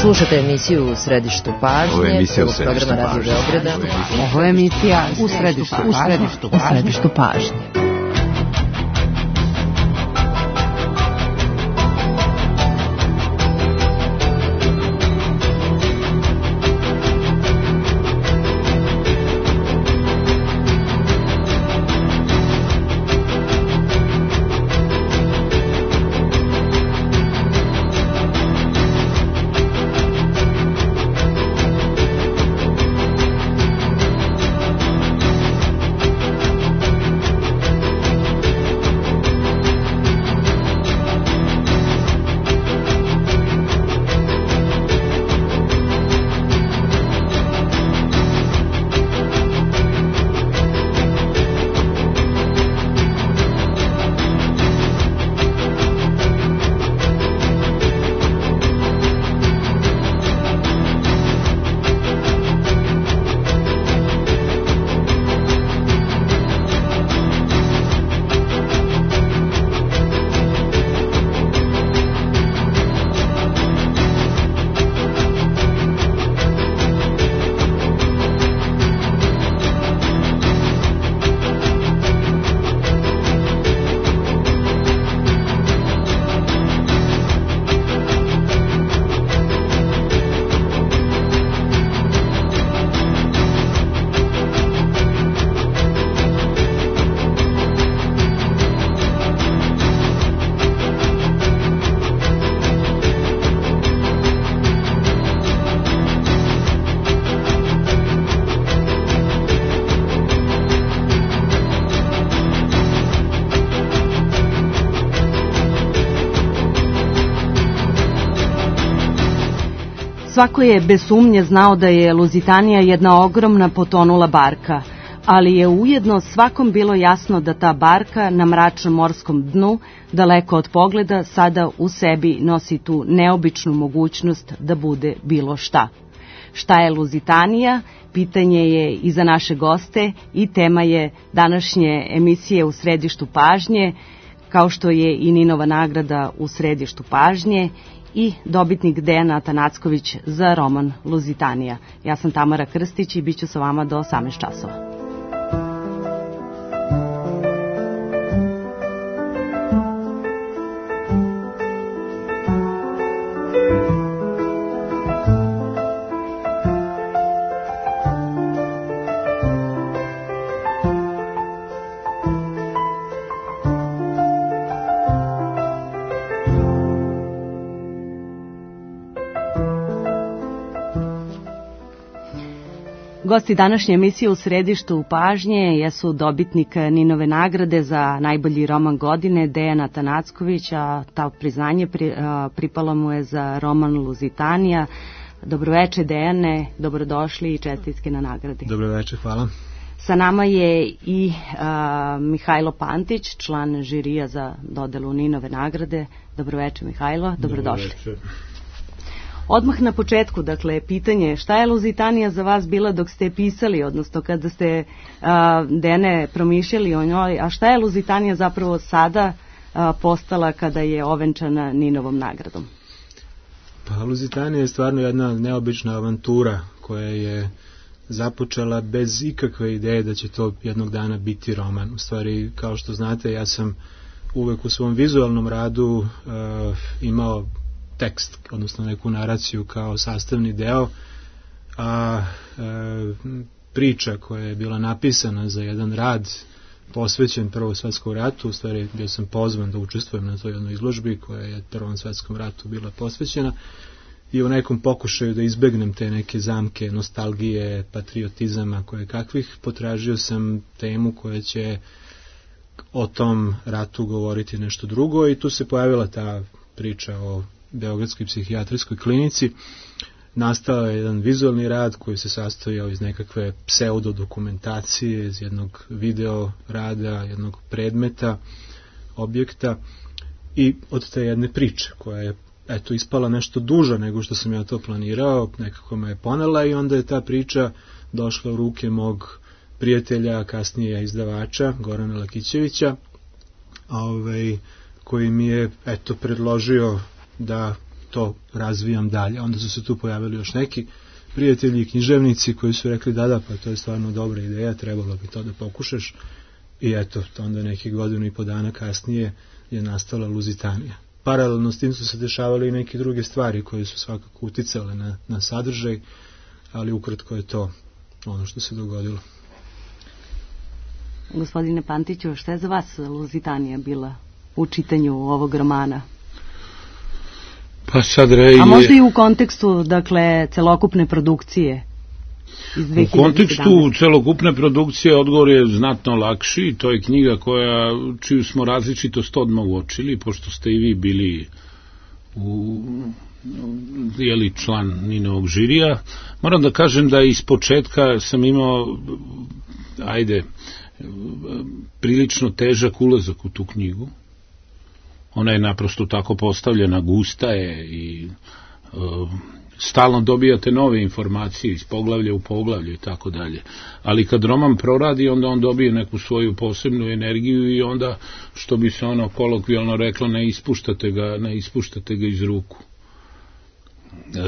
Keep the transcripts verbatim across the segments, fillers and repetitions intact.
Slušate emisiju U središtu pažnje. Ovo je emisija U središtu pažnje. Ovo je emisija U središtu pažnje. U središtu pažnje. Svako je bez sumnje znao da je Luzitanija jedna ogromna potonula barka, ali je ujedno svakom bilo jasno da ta barka na mračnom morskom dnu, daleko od pogleda, sada u sebi nosi tu neobičnu mogućnost da bude bilo šta. Šta je Luzitanija? Pitanje je i za naše goste i tema je današnje emisije U središtu pažnje, kao što je i Ninova nagrada U središtu pažnje i dobitnik Dejan Atanacković za roman Luzitanija. Ja sam Tamara Krstić i bit ću sa vama do osamnaest časova. Gosti današnje emisije U središtu pažnje jesu dobitnik Ninove nagrade za najbolji roman godine Dejan Atanacković, a ta priznanje pri, a, pripalo mu je za roman Luzitanija. Dobroveče Dejane, dobrodošli i čestitke na nagradi. Dobroveče, hvala. Sa nama je i a, Mihajlo Pantić, član žirija za dodelu Ninove nagrade. Dobroveče Mihajlo, dobrodošli. Dobroveče. Odmah na početku, dakle, pitanje šta je Luzitanija za vas bila dok ste pisali, odnosno kada ste a, Dene promišljali o njoj, a šta je Luzitanija zapravo sada a, postala kada je ovenčana Ninovom nagradom? Pa Luzitanija je stvarno jedna neobična avantura koja je započela bez ikakve ideje da će to jednog dana biti roman. U stvari, kao što znate, ja sam uvek u svom vizualnom radu a, imao tekst, odnosno neku naraciju kao sastavni deo, a e, priča koja je bila napisana za jedan rad posvećen Prvom svetskom ratu, u stvari bio sam pozvan da učestvujem na toj jednoj izložbi koja je Prvom svetskom ratu bila posvećena, i u nekom pokušaju da izbegnem te neke zamke nostalgije, patriotizama koje kakvih, potražio sam temu koja će o tom ratu govoriti nešto drugo, i tu se pojavila ta priča o Beogradskoj psihijatrijskoj klinici. Nastao je jedan vizualni rad koji se sastojao iz nekakve pseudodokumentacije, iz jednog video rada, jednog predmeta, objekta, i od te jedne priče koja je eto ispala nešto duža nego što sam ja to planirao, nekako me je ponela, i onda je ta priča došla u ruke mog prijatelja, kasnije izdavača, Gorana Lakićevića, ovaj, koji mi je eto predložio da to razvijam dalje. Onda su se tu pojavili još neki prijatelji i književnici koji su rekli da, da, pa to je stvarno dobra ideja, trebalo bi to da pokušaš. I eto, onda nekih godinu i po dana kasnije je nastala Luzitanija. Paralelno s tim su se dešavale i neke druge stvari koje su svakako uticale na, na sadržaj, ali ukratko je to ono što se dogodilo. Gospodine Pantiću, šta je za vas Luzitanija bila u čitanju ovog romana? Pa sad rej... A možda i u kontekstu, dakle, celokupne produkcije iz dve hiljade sedamnaeste. U kontekstu celokupne produkcije odgovor je znatno lakši. To je knjiga koja, čiju smo različitost odmah uočili, pošto ste i vi bili u, jeli, član Ninovog žirija. Moram da kažem da iz početka sam imao, ajde, prilično težak ulazak u tu knjigu. Ona je naprosto tako postavljena, gusta je i uh, stalno dobijate nove informacije iz poglavlja u poglavlje i tako dalje. Ali kad roman proradi, onda on dobije neku svoju posebnu energiju i onda, što bi se ono kolokvijalno reklo, ne ispuštate ga, ne ispuštate ga iz ruku. E,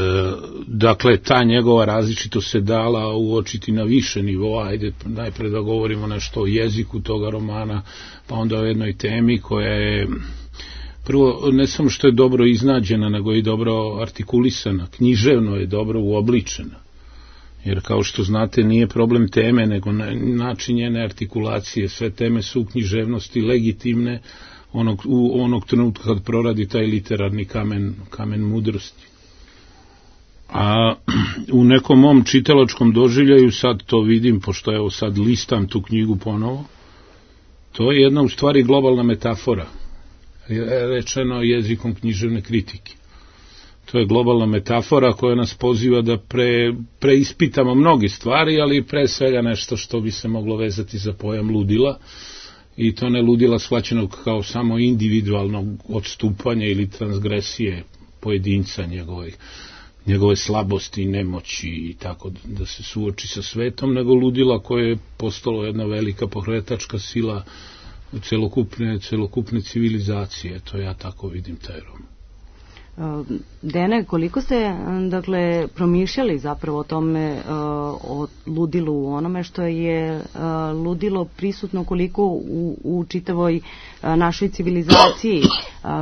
dakle, ta njegova različitost se dala uočiti na više nivoa. Ajde, najpre da govorimo nešto o jeziku toga romana, pa onda o jednoj temi koja je prvo, ne samo što je dobro iznađena, nego i dobro artikulisana, književno je dobro uobličena. Jer kao što znate, nije problem teme, nego način njene artikulacije. Sve teme su u književnosti legitimne onog, u onog trenutka kad proradi taj literarni kamen, kamen mudrosti. A u nekom mom čitalačkom doživljaju, sad to vidim, pošto evo sad listam tu knjigu ponovo, to je jedna u stvari globalna metafora, rečeno jezikom književne kritike. To je globalna metafora koja nas poziva da pre, preispitamo mnoge stvari, ali pre svega nešto što bi se moglo vezati za pojam ludila, i to ne ludila shvaćenog kao samo individualnog odstupanja ili transgresije pojedinca njegovih, njegove slabosti i nemoći i tako da se suoči sa svetom, nego ludila koje je postalo jedna velika pokretačka sila celokupne, celokupne civilizacije. To ja tako vidim taj roman. Dene, koliko ste, dakle, promišljali zapravo o tome, o ludilu, u onome što je ludilo prisutno, koliko u, u čitavoj našoj civilizaciji,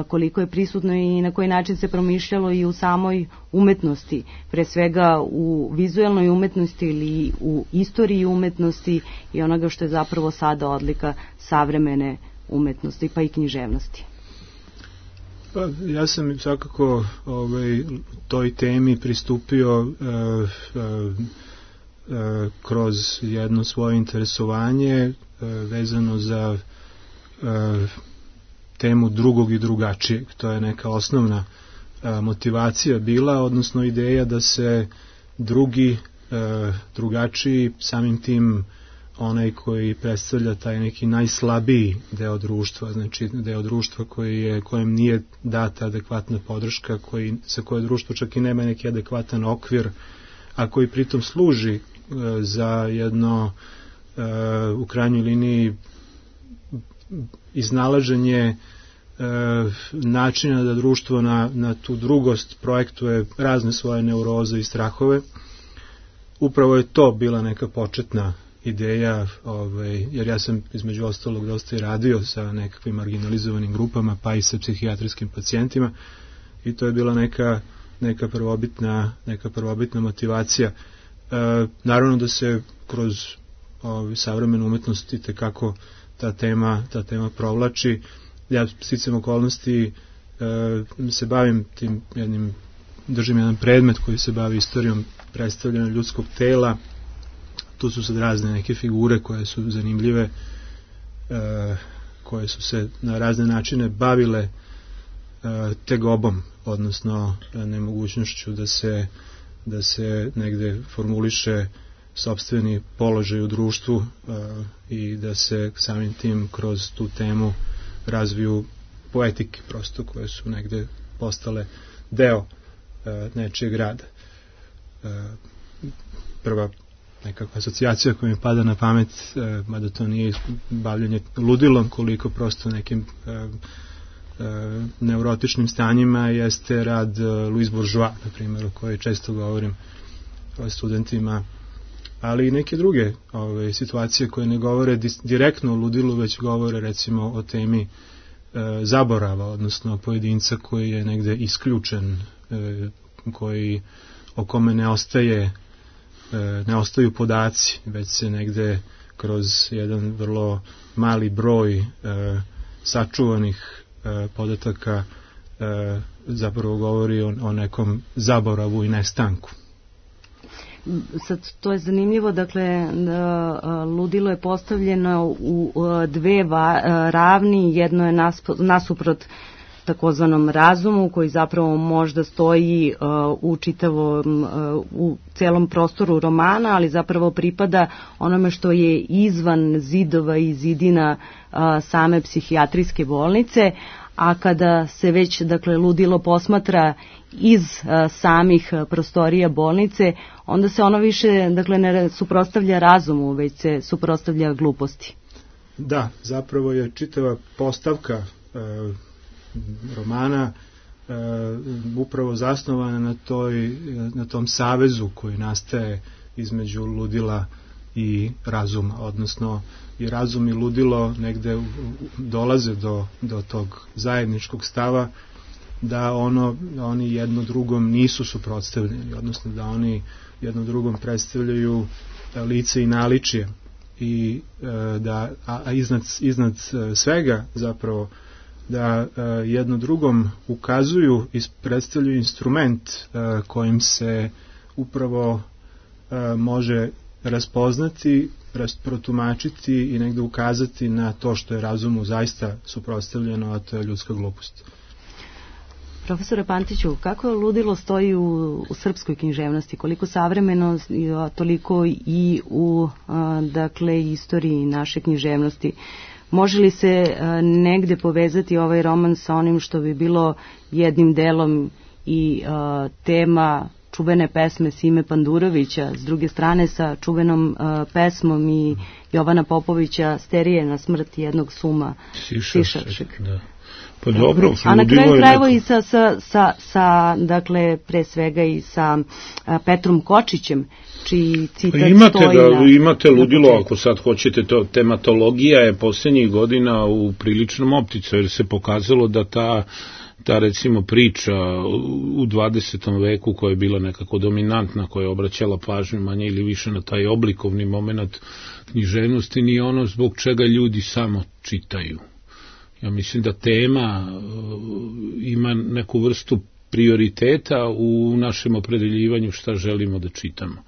koliko je prisutno i na koji način se promišljalo i u samoj umetnosti, pre svega u vizuelnoj umetnosti ili u istoriji umetnosti i onoga što je zapravo sada odlika savremene umetnosti, pa i književnosti. Pa, ja sam svakako ovaj, toj temi pristupio uh, uh, uh, kroz jedno svoje interesovanje uh, vezano za uh, temu drugog i drugačijeg. To je neka osnovna uh, motivacija bila, odnosno ideja da se drugi, uh, drugačiji, samim tim onaj koji predstavlja taj neki najslabiji deo društva, znači deo društva koji je, kojem nije data adekvatna podrška, koji, sa koje društvo čak i nema neki adekvatan okvir, a koji pritom služi e, za jedno e, u krajnjoj liniji iznalaženje e, načina da društvo na, na tu drugost projektuje razne svoje neuroze i strahove. Upravo je to bila neka početna ideja, ovaj, jer ja sam između ostalog dosta i radio sa nekakvim marginalizovanim grupama, pa i sa psihijatrijskim pacijentima, i to je bila neka, neka, prvobitna, neka prvobitna motivacija. E, naravno da se kroz ovaj, savremenu umetnost i tekako ta tema, ta tema provlači. Ja sticam okolnosti e, se bavim tim jednim, držim jedan predmet koji se bavi istorijom predstavljanja ljudskog tela. Tu su sad razne neke figure koje su zanimljive, e, koje su se na razne načine bavile e, tegobom, odnosno nemogućnošću da se, da se negde formuliše sopstveni položaj u društvu e, i da se samim tim kroz tu temu razviju poetike prosto koje su negde postale deo e, nečijeg rada. E, prva nekakva asocijacija koja mi pada na pamet, e, mada to nije bavljanje ludilom, koliko prosto nekim e, neurotičnim stanjima jeste rad Louise Bourgeois, na primjer, o kojoj često govorim studentima, ali i neke druge ove, situacije koje ne govore direktno o ludilu, već govore recimo o temi e, zaborava, odnosno pojedinca koji je negde isključen, e, koji, o kome ne ostaje e, ne ostaju podaci, već se negde kroz jedan vrlo mali broj e, sačuvanih e, podataka e, zapravo govori o, o nekom zaboravu i nestanku. Sad, to je zanimljivo, dakle, ludilo je postavljeno u dve ravni, jedno je nasuprot takozvanom razumu, koji zapravo možda stoji u čitavom, u celom prostoru romana, ali zapravo pripada onome što je izvan zidova i zidina same psihijatrijske bolnice, a kada se već, dakle, ludilo posmatra iz a, samih a, prostorija bolnice, onda se ono više, dakle, ne suprotstavlja razumu, već se suprotstavlja gluposti. Da, zapravo je čitava postavka e, romana e, upravo zasnovana na, toj, na tom savezu koji nastaje između ludila i razuma, odnosno i razum i ludilo negde dolaze do, do tog zajedničkog stava da ono, oni jedno drugom nisu suprotstavljeni, odnosno da oni jedno drugom predstavljaju lice i naličje i da, a iznad, iznad svega zapravo da jedno drugom ukazuju i predstavljaju instrument kojim se upravo može raspoznati, protumačiti i negde ukazati na to što je razumu zaista suprotstavljeno, a to je ljudska glupost. Profesore Pantiću, kako ludilo stoji u, u srpskoj književnosti? Koliko savremeno, toliko i u a, dakle, istoriji naše književnosti? Može li se a, negde povezati ovaj roman sa onim što bi bilo jednim delom i a, tema čuvene pesme Sime Pandurovića, s druge strane sa čuvenom uh, pesmom i Jovana Popovića Sterije na smrt jednog suma Sišačeg. Da. Pa dobro, a na kraju krajeva i sa, sa, sa, sa, dakle, pre svega i sa uh, Petrom Kočićem, čiji citat pa imate stoji da, na... Imate ludilo, ako sad hoćete, to tematologija je posljednjih godina u priličnom opticu, jer se pokazalo da ta ta recimo priča u dvadesetom veku koja je bila nekako dominantna, koja je obraćala pažnju manje ili više na taj oblikovni moment književnosti, nije ono zbog čega ljudi samo čitaju. Ja mislim da tema ima neku vrstu prioriteta u našem opredeljivanju šta želimo da čitamo.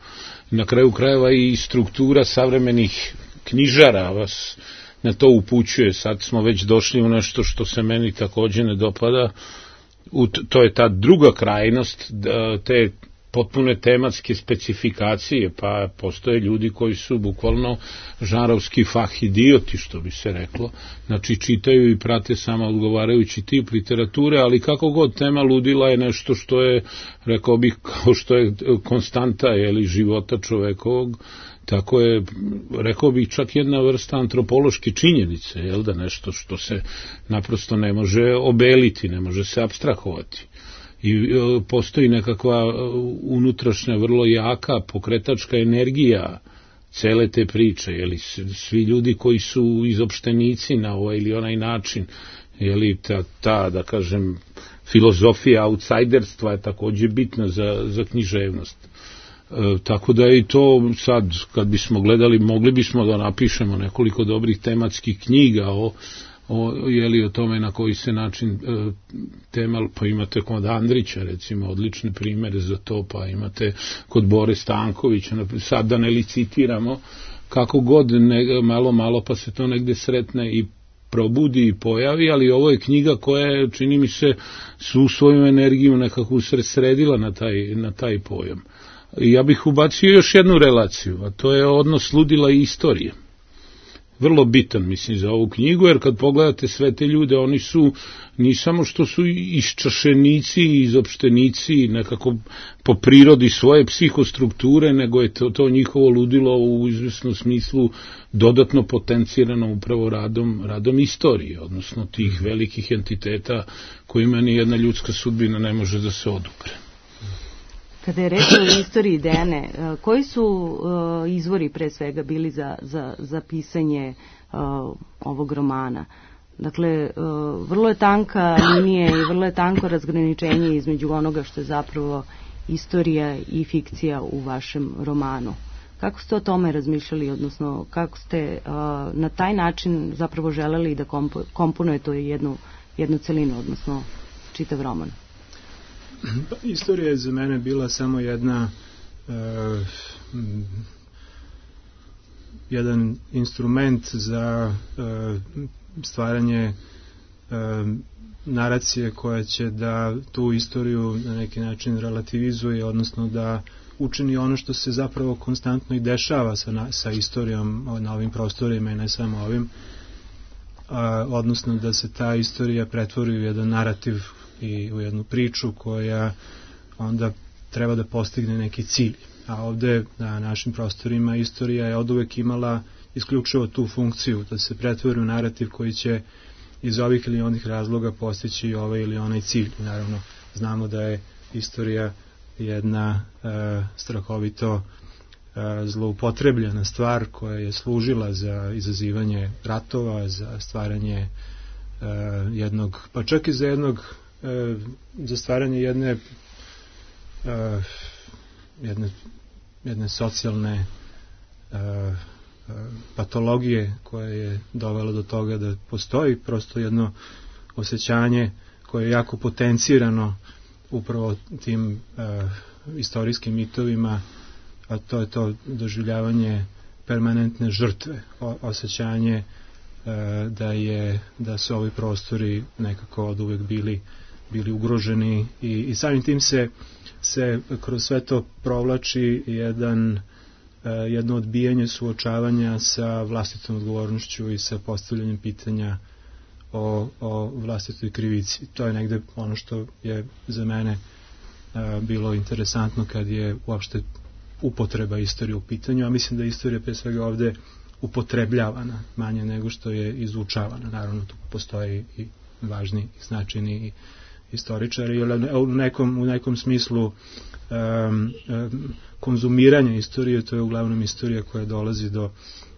Na kraju krajeva i struktura savremenih knjižara vas na to upućuje. Sad smo već došli u nešto što se meni također ne dopada. U to je ta druga krajnost, te potpune tematske specifikacije, pa postoje ljudi koji su bukvalno žarovski fahidioti, što bi se reklo. Znači čitaju i prate samo odgovarajući tip literature, ali kako god tema ludila je nešto što je, rekao bih, kao što je konstanta ili života čovekovog. Tako je, rekao bih, čak jedna vrsta antropološke činjenice, jel da, nešto što se naprosto ne može obeliti, ne može se apstrahovati. I e, postoji nekakva unutrašnja, vrlo jaka pokretačka energija cele te priče, jeli, svi ljudi koji su izopštenici na ovaj ili onaj način, jeli, ta, ta, da kažem, filozofija outsiderstva je također bitna za, za književnost. E, tako da je i to sad, kad bismo gledali, mogli bismo da napišemo nekoliko dobrih tematskih knjiga o, o, jeli, o tome na koji se način e, tema, pa imate kod Andrića recimo odlične primere za to, pa imate kod Bore Stankovića, sad da ne licitiramo, kako god ne, malo malo pa se to negde sretne i probudi i pojavi, ali ovo je knjiga koja je, čini mi se, svu svoju energiju nekako usredsredila na taj, na taj pojam. Ja bih ubacio još jednu relaciju, a to je odnos ludila i istorije. vrlo bitan, mislim, za ovu knjigu, jer kad pogledate sve te ljude, oni su, ni samo što su iščašenici, izopštenici, nekako po prirodi svoje psihostrukture, nego je to, to njihovo ludilo u izvesnom smislu dodatno potencirano upravo radom, radom istorije, odnosno tih velikih entiteta kojima ni jedna ljudska sudbina ne može da se odupre. Kada je reč o istoriji Dejane, koji su uh, izvori pre svega bili za, za, za pisanje uh, ovog romana? Dakle, uh, vrlo je tanka linija i vrlo je tanko razgraničenje između onoga što je zapravo istorija i fikcija u vašem romanu. Kako ste o tome razmišljali, odnosno kako ste uh, na taj način zapravo želeli da kompo, komponujete jednu, jednu celinu, odnosno čitav roman? Pa, istorija je za mene bila samo jedna uh, jedan instrument za uh, stvaranje uh, naracije koja će da tu istoriju na neki način relativizuje, odnosno da učini ono što se zapravo konstantno i dešava sa, na, sa istorijom na ovim prostorima i ne samo ovim, uh, odnosno da se ta istorija pretvori u jedan narativ i u jednu priču koja onda treba da postigne neki cilj. A ovde na našim prostorima istorija je oduvek imala isključivo tu funkciju, da se pretvori u narativ koji će iz ovih ili onih razloga postići ovaj ili onaj cilj. Naravno, znamo da je istorija jedna e, strahovito e, zloupotrebljena stvar koja je služila za izazivanje ratova, za stvaranje e, jednog, pa čak i za jednog za stvaranje jedne uh, jedne, jedne socijalne uh, uh, patologije koja je dovela do toga da postoji prosto jedno osjećanje koje je jako potencirano upravo tim uh, istorijskim mitovima, a to je to doživljavanje permanentne žrtve, o, osjećanje uh, da je da su ovi prostori nekako od uvek bili bili ugroženi i, i samim tim se, se kroz sve to provlači jedan, uh, jedno odbijanje suočavanja sa vlastitom odgovornošću i sa postavljanjem pitanja o, o vlastitoj krivici. To je negde ono što je za mene uh, bilo interesantno kad je uopšte upotreba istorije u pitanju, a mislim da je istorija pre svega ovde upotrebljavana manje nego što je izučavana. Naravno, tu postoji i važni i značajni i istoričari, u nekom, u nekom smislu um, um, konzumiranja istorije, to je uglavnom istorija koja dolazi do,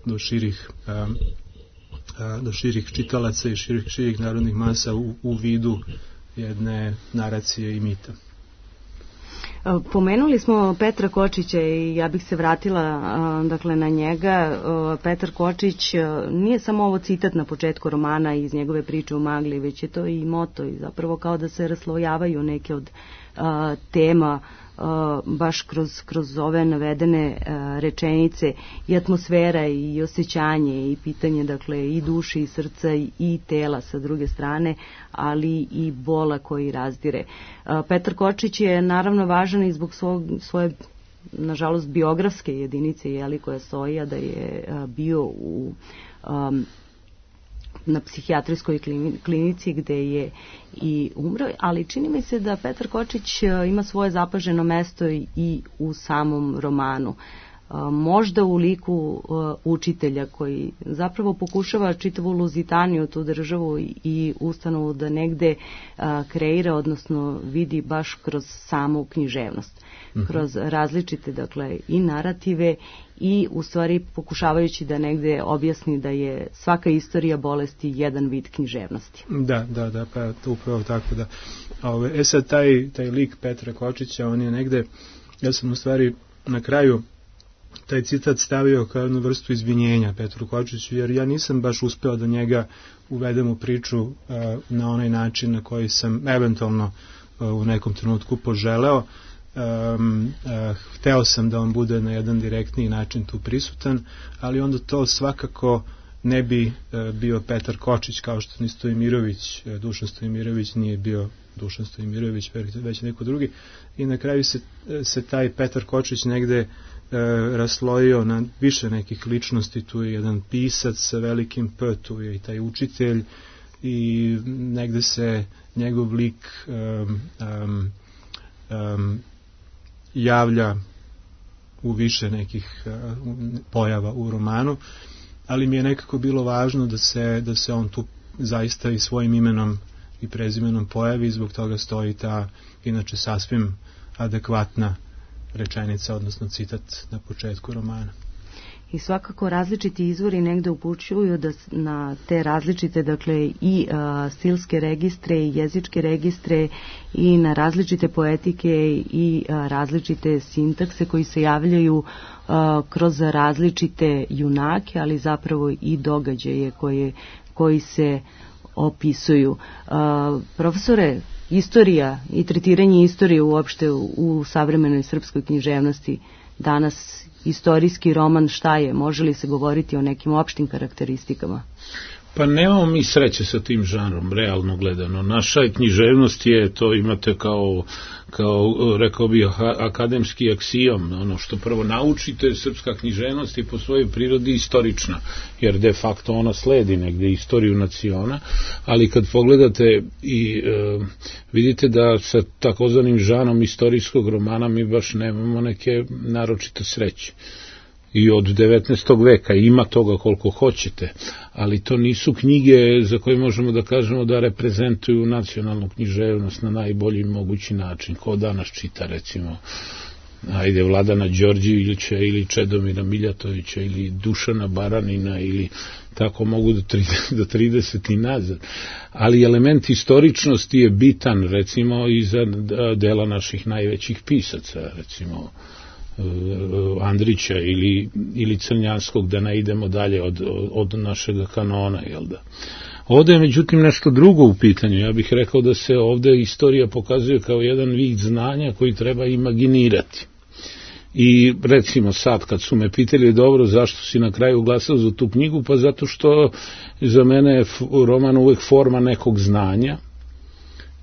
do širih um, uh, do širih čitalaca i širih, širih narodnih masa u, u vidu jedne naracije i mita. Pomenuli smo Petra Kočića i ja bih se vratila dakle na njega. Petar Kočić nije samo ovo citat na početku romana iz njegove priče u magli, već je to i moto i zapravo kao da se raslojavaju neke od a, tema a, baš kroz, kroz ove navedene a, rečenice i atmosfera i osjećanje i pitanje dakle i duše i srca i, i tela sa druge strane, ali i bola koji razdire. A, Petar Kočić je naravno važan i zbog svog, svoje nažalost biografske jedinice jeli, koja stoji, a da je a, bio u um, na psihijatrijskoj klinici gde je i umro, ali čini mi se da Petar Kočić ima svoje zapaženo mesto i u samom romanu. Možda u liku učitelja koji zapravo pokušava čitavu Luzitaniju, tu državu i ustanovu da negde kreira, odnosno vidi baš kroz samu književnost, mm-hmm. kroz različite dakle i narative i u stvari pokušavajući da negde objasni da je svaka istorija bolesti jedan vid književnosti. Da, da, da, pa to upravo tako da. Ove, e sad taj, taj lik Petra Kočića, on je negde, ja sam u stvari na kraju taj citat stavio kao jednu vrstu izvinjenja Petru Kočiću, jer ja nisam baš uspeo da njega uvedem u priču uh, na onaj način na koji sam eventualno uh, u nekom trenutku poželeo. Um, uh, hteo sam da on bude na jedan direktniji način tu prisutan, ali onda to svakako ne bi uh, bio Petar Kočić, kao što ni Stojimirović, uh, Dušan Stojimirović nije bio Dušan Stojimirović, već neko drugi, i na kraju se, se taj Petar Kočić negde raslojio na više nekih ličnosti. Tu je jedan pisac sa velikim P, tu je i taj učitelj i negde se njegov lik um, um, um, javlja u više nekih uh, pojava u romanu, ali mi je nekako bilo važno da se, da se on tu zaista i svojim imenom i prezimenom pojavi, zbog toga stoji ta inače sasvim adekvatna rečenica, odnosno citat na početku romana. I svakako različiti izvori negde upućuju da na te različite, dakle, i a, stilske registre i jezičke registre i na različite poetike i a, različite sintakse koji se javljaju a, kroz različite junake, ali zapravo i događaje koje, koji se opisuju. A, profesore, istorija i tretiranje istorije uopšte u, u savremenoj srpskoj književnosti danas, istorijski roman šta je? Može li se govoriti o nekim opštim karakteristikama? Pa nemamo mi sreće sa tim žanrom, realno gledano. Naša književnost je, to imate kao, kao rekao bih, akademski aksijom. Ono što prvo naučite, srpska književnost je po svojoj prirodi istorična, jer de facto ona sledi negde istoriju naciona, ali kad pogledate i e, vidite da sa takozvanim žanom istorijskog romana mi baš nemamo neke naročite sreće. I od devetnaestog veka ima toga koliko hoćete, ali to nisu knjige za koje možemo da kažemo da reprezentuju nacionalnu književnost na najbolji mogući način. Ko danas čita, recimo, ajde, Vladana Đorđevića ili Čedomira Miljatovića ili Dušana Baranina ili tako mogu do, do trideset i nazad. Ali element istoričnosti je bitan, recimo, i za dela naših najvećih pisaca, recimo Andrića ili, ili Crnjanskog, da ne idemo dalje od, od našeg kanona, jel da? Ovde je međutim nešto drugo u pitanju. Ja bih rekao da se ovde istorija pokazuje kao jedan vid znanja koji treba imaginirati. I recimo sad kad su me pitali dobro zašto si na kraju glasao za tu knjigu, pa zato što za mene je roman uvek forma nekog znanja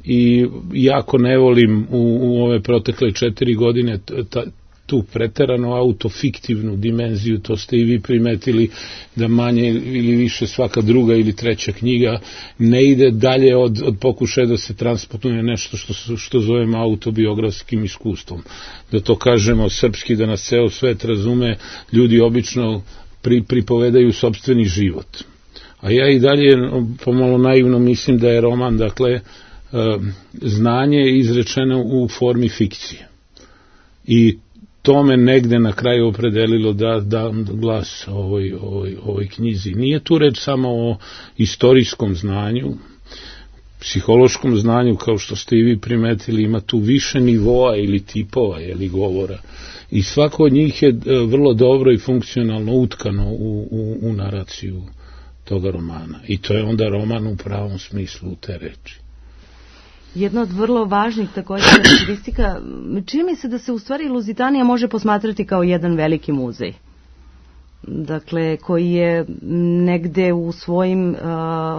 i jako ne volim u, u ove protekle četiri godine ta, tu preterano autofiktivnu dimenziju, to ste i vi primetili da manje ili više svaka druga ili treća knjiga ne ide dalje od, od pokušaja da se transportuje nešto što, što zovemo autobiografskim iskustvom. Da to kažemo srpski, da nas ceo svet razume, ljudi obično pri, pripovedaju sopstveni život. A ja i dalje pomalo naivno mislim da je roman, dakle, znanje izrečeno u formi fikcije. I to me negde na kraju opredelilo da dam glas ovoj, ovoj, ovoj knjizi. Nije tu reč samo o istorijskom znanju, psihološkom znanju, kao što ste i vi primetili, ima tu više nivoa ili tipova ili govora. I svako od njih je vrlo dobro i funkcionalno utkano u, u, u naraciju toga romana. I to je onda roman u pravom smislu te reči. Jedna od vrlo važnih također karakteristika, čini mi se da se u stvari Luzitanija može posmatrati kao jedan veliki muzej. Dakle, koji je negde u svojim uh,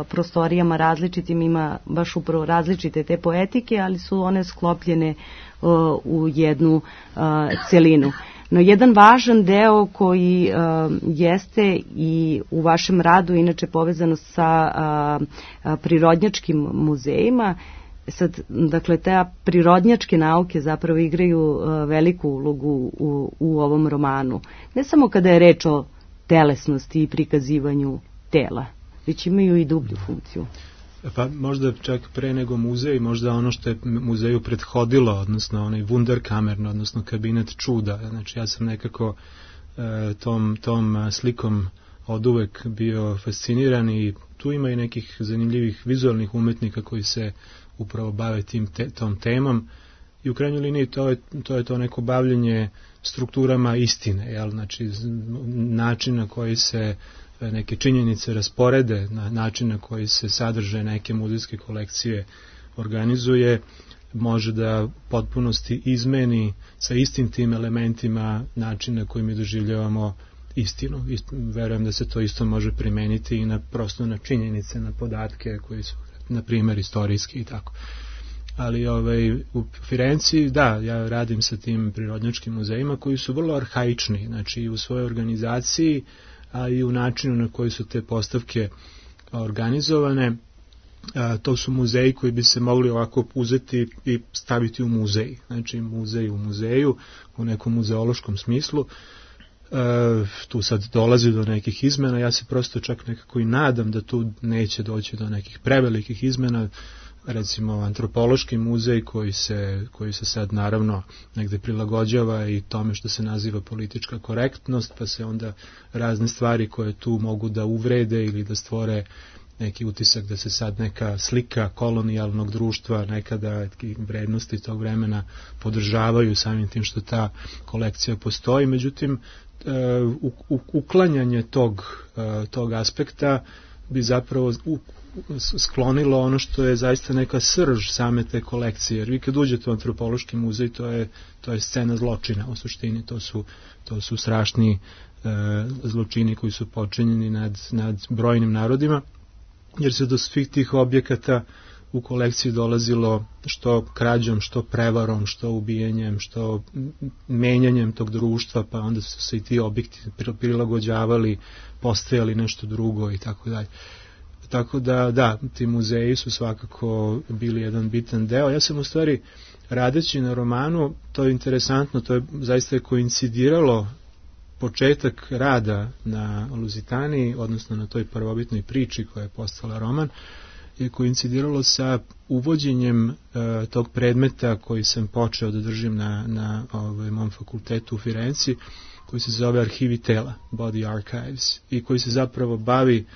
prostorijama različitim, ima baš upravo različite te poetike, ali su one sklopljene uh, u jednu uh, celinu. No, jedan važan deo koji uh, jeste i u vašem radu, inače povezano sa uh, prirodnjačkim muzejima, sad, dakle, te prirodnjačke nauke zapravo igraju uh, veliku ulogu u, u ovom romanu. Ne samo kada je reč o telesnosti i prikazivanju tela, već imaju i dublju funkciju. Pa možda čak pre nego muzej, možda ono što je muzeju prethodilo, odnosno onaj Wunderkammer, odnosno kabinet čuda. Znači ja sam nekako uh, tom, tom slikom od uvek bio fasciniran i tu ima i nekih zanimljivih vizualnih umetnika koji se upravo bave tim te, tom temom i u krajnjoj liniji to je, to je to neko bavljenje strukturama istine, jel? Znači način na koji se neke činjenice rasporede, na način na koji se sadrže neke muzejske kolekcije organizuje, može da potpunosti izmeni sa istim tim elementima način na koji mi doživljavamo istinu. Ist, verujem da se to isto može primeniti i na prosto na činjenice, na podatke koji su, na primjer, istorijski i tako. ali ovaj, u Firenci, da, ja radim sa tim prirodnjačkim muzejima koji su vrlo arhaični, znači i u svojoj organizaciji, a i u načinu na koji su te postavke organizovane. A, to su muzeji koji bi se mogli ovako uzeti i staviti u muzej, znači muzej u muzeju, u nekom muzeološkom smislu. E, tu sad dolazi do nekih izmena, ja se prosto čak nekako i nadam da tu neće doći do nekih prevelikih izmena, recimo antropološki muzej koji se, koji se sad naravno negde prilagođava i tome što se naziva politička korektnost, pa se onda razne stvari koje tu mogu da uvrede ili da stvore neki utisak da se sad neka slika kolonijalnog društva, nekada vrednosti tog vremena podržavaju samim tim što ta kolekcija postoji. Međutim, uklanjanje tog, tog aspekta bi zapravo sklonilo ono što je zaista neka srž same te kolekcije. Jer vi kad uđete u antropološki muzej, to je, to je scena zločina u suštini. To su, to su strašni e, zločini koji su počinjeni nad, nad brojnim narodima, jer se do svih tih objekata u kolekciji dolazilo što krađom, što prevarom, što ubijenjem, što menjanjem tog društva, pa onda su se i ti objekti prilagođavali, postajali nešto drugo i tako dalje. Tako da, da, ti muzeji su svakako bili jedan bitan deo. Ja sam u stvari, radeći na romanu, to je interesantno, to je zaista koincidiralo početak rada na Luzitaniji, odnosno na toj prvobitnoj priči koja je postala roman, je koincidiralo sa uvođenjem e, tog predmeta koji sam počeo da držim na, na ovaj, mom fakultetu u Firenci, koji se zove Arhivi tela, Body Archives, i koji se zapravo bavi,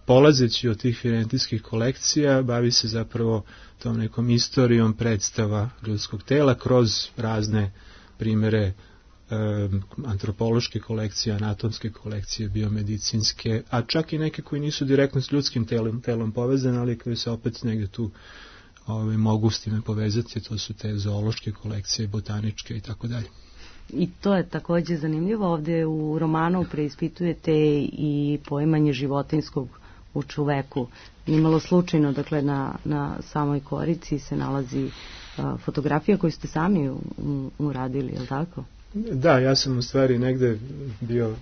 polazeći od tih firentijskih kolekcija, bavi se zapravo tom nekom istorijom predstava ljudskog tela kroz razne primere antropološke kolekcije, anatomske kolekcije, biomedicinske, a čak i neke koji nisu direktno s ljudskim telom, telom povezane, ali koji se opet negde tu ove, mogu s time povezati, to su te zoološke kolekcije, botaničke i tako dalje. I to je takođe zanimljivo, ovde u romanu preispitujete i poimanje životinskog u čoveku. Nimalo slučajno, dakle, na, na samoj korici se nalazi a, fotografija koju ste sami u, u, uradili, je li tako? Da, ja sam u stvari negde bio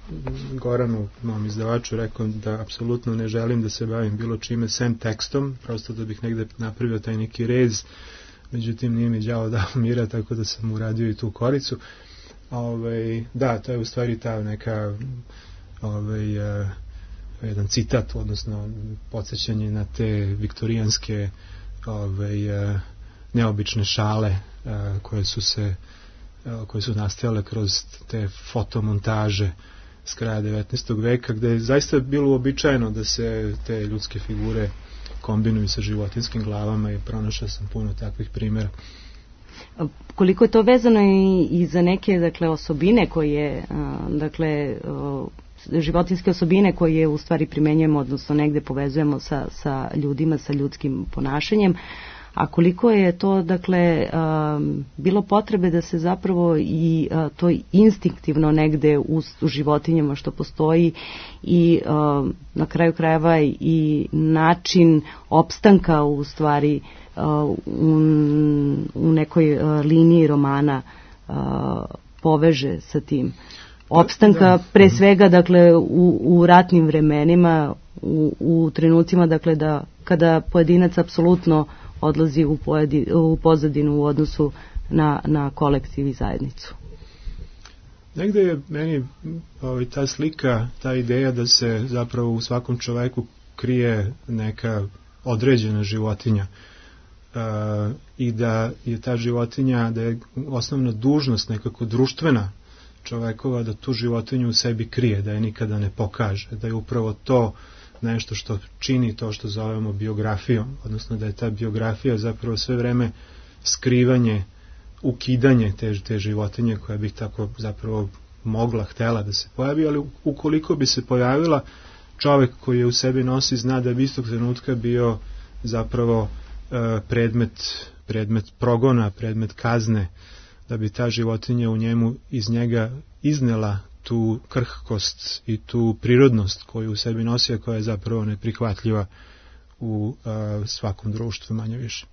Goranu, mom izdavaču, rekao da apsolutno ne želim da se bavim bilo čime sem tekstom, prosto da bih negde napravio taj neki rez, međutim nije mi đavo dao mira, tako da sam uradio i tu koricu. Ove, da, to je u stvari ta neka ove, uh, jedan citat, odnosno podsjećanje na te viktorijanske ove, uh, neobične šale uh, koje su se koje su nastajale kroz te fotomontaže s kraja devetnaestog veka, gde je zaista bilo uobičajeno da se te ljudske figure kombinuju sa životinskim glavama i pronašao sam puno takvih primjera. Koliko je to vezano i, i za neke, dakle, osobine koje, dakle, životinske osobine koje u stvari primenjujemo, odnosno negde povezujemo sa, sa ljudima, sa ljudskim ponašanjem, a koliko je to, dakle, um, bilo potrebe da se zapravo i uh, to instinktivno negde u, u životinjama što postoji i um, na kraju krajeva i način opstanka u stvari uh, u, u nekoj uh, liniji romana uh, poveže sa tim. Opstanka pre svega, dakle, u, u ratnim vremenima, u, u trenucima, dakle, da kada pojedinac apsolutno odlazi u, pojedi, u pozadinu u odnosu na, na kolektiv i zajednicu. Negde je meni ovaj, ta slika, ta ideja da se zapravo u svakom čoveku krije neka određena životinja uh, i da je ta životinja, da je osnovna dužnost nekako društvena čovekova da tu životinju u sebi krije, da je nikada ne pokaže, da je upravo to nešto što čini to što zovemo biografijom, odnosno da je ta biografija zapravo sve vreme skrivanje, ukidanje te, te životinje koja bi tako zapravo mogla, htela da se pojavi, ali ukoliko bi se pojavila, čovek koji je u sebi nosi zna da bi istog trenutka bio zapravo e, predmet, predmet progona, predmet kazne, da bi ta životinja u njemu iz njega iznela tu krhkost i tu prirodnost koju u sebi nosi, a koja je zapravo neprihvatljiva u a, svakom društvu, manje više.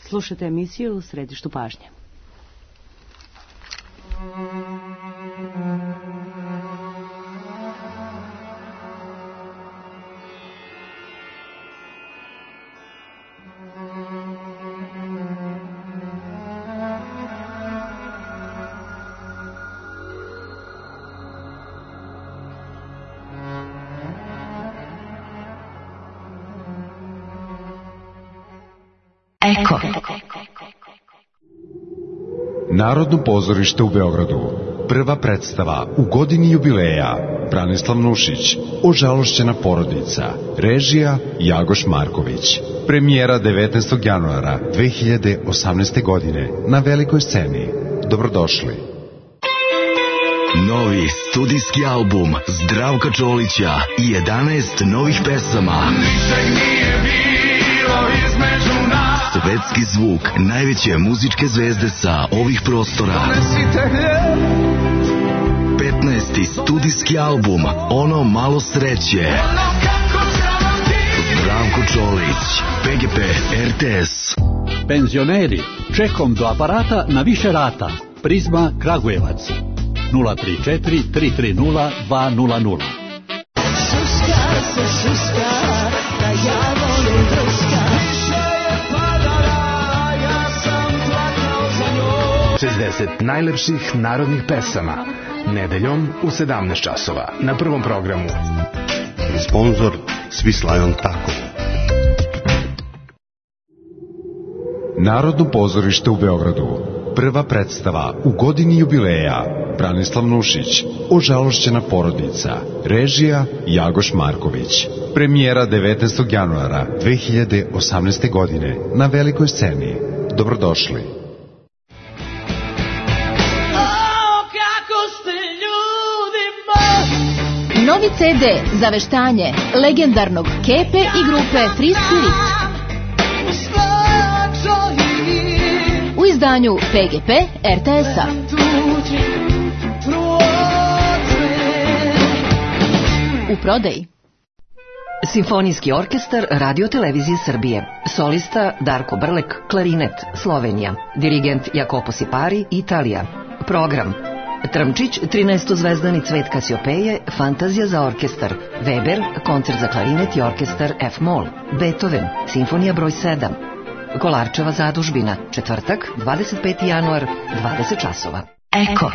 Slušajte emisiju U središtu pažnje. Eko. Narodno pozorište u Beogradu. Prva predstava u godini jubileja. Branislav Nušić, Ožalošćena porodica. Režija Jagoš Marković. Premijera devetnaestog januara dve hiljade osamnaeste. godine na velikoj sceni. Dobrodošli. Novi studijski album Zdravka Čolića i jedanaest novih pesama. Ničeg nije bilo između nas. Svetski zvuk najveće muzičke zvezde sa ovih prostora. petnaesti studijski album Ono malo sreće. Zdravko Čolić, P G P, R T S. Penzioneri, čekom do aparata na više rata. Prizma Kragujevac. nula tri četiri tri tri nula dva nula nula. Šuška se šuška, da ja volim druška. Više je padala, ja sam plakao za njom. šezdeset najlepših narodnih pesama. Nedeljom u sedamnaest časova na prvom programu. Sponzor Svislajon Tako. Narodno pozorište u Beogradu. Prva predstava u godini jubileja. Branislav Nušić, Ožalošćena porodica. Režija Jagoš Marković. Premijera devetnaestog januara dve hiljade osamnaeste. godine na velikoj sceni. Dobrodošli. Novi ce de za veštanje legendarnog Kepe i grupe Free Spirit. U izdanju P G P R T S-a. U prodaji. Simfonijski orkestar Radio Televizije Srbije. Solista Darko Brlek, klarinet, Slovenija. Dirigent Jacopo Sipari, Italija. Program: Trmčić, trinaestozvezdani cvet Kasiopeje, Fantazija za orkestar. Weber, koncert za klarinet i orkestar F-mol. Beethoven, simfonija broj sedam. Kolarčeva zadužbina, četvrtak, dvadeset peti januar, dvadeset časova. Eko.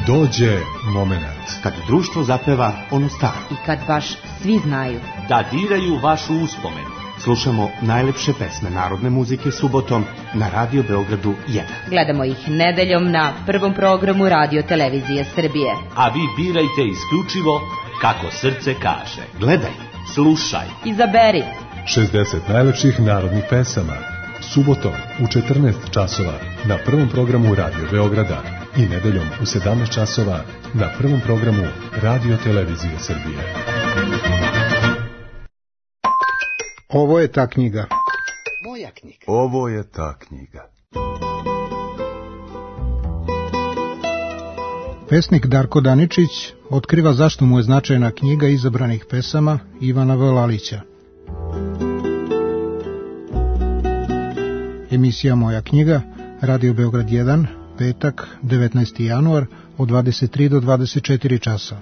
Dođe moment kad društvo zapeva onu staru. I kad baš svi znaju. Da diraju vašu uspomenu. Slušamo najlepše pesme narodne muzike subotom na Radio Beogradu jedan. Gledamo ih nedeljom na prvom programu Radio Televizije Srbije. A vi birajte isključivo kako srce kaže. Gledaj, slušaj, izaberi. šezdeset najlepših narodnih pesama. Subotom u četrnaest časova na prvom programu Radio Beograda i nedeljom u sedamnaest časova na prvom programu Radio Televizije Srbije. Ovo je ta knjiga. Moja knjiga. Ovo je ta knjiga. Pesnik Darko Daničić otkriva zašto mu je značajna knjiga izabranih pesama Ivana Vlalića. Emisija Moja knjiga, Radio Beograd jedan, petak, devetnaesti januar, od dvadeset tri do dvadeset četiri časa.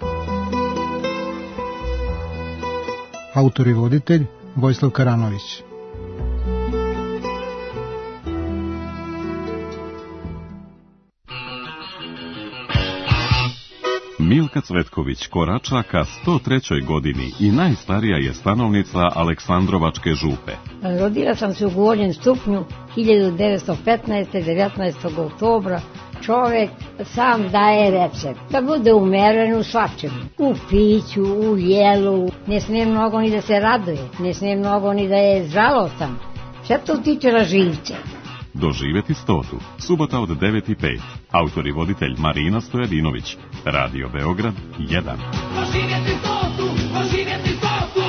Autor i voditelj Vojislav Karanović. Milka Cvetković korača ka sto trećoj godini i najstarija je stanovnica Aleksandrovačke župe. Rodila sam se u Gornjem Stupnju hiljadu devetsto petnaeste. devetnaestog oktobra. Čovek sam daje recept da bude umeren u svačemu, u piću, u jelu. Ne smije mnogo ni da se raduje, ne smije mnogo ni da je žalostan. Sve to utiče na živce. Doživeti stotu, subota od devet i pet. Autor i voditelj Marina Stojadinović. Radio Beograd jedan. Doživjeti stotu, doživjeti stotu.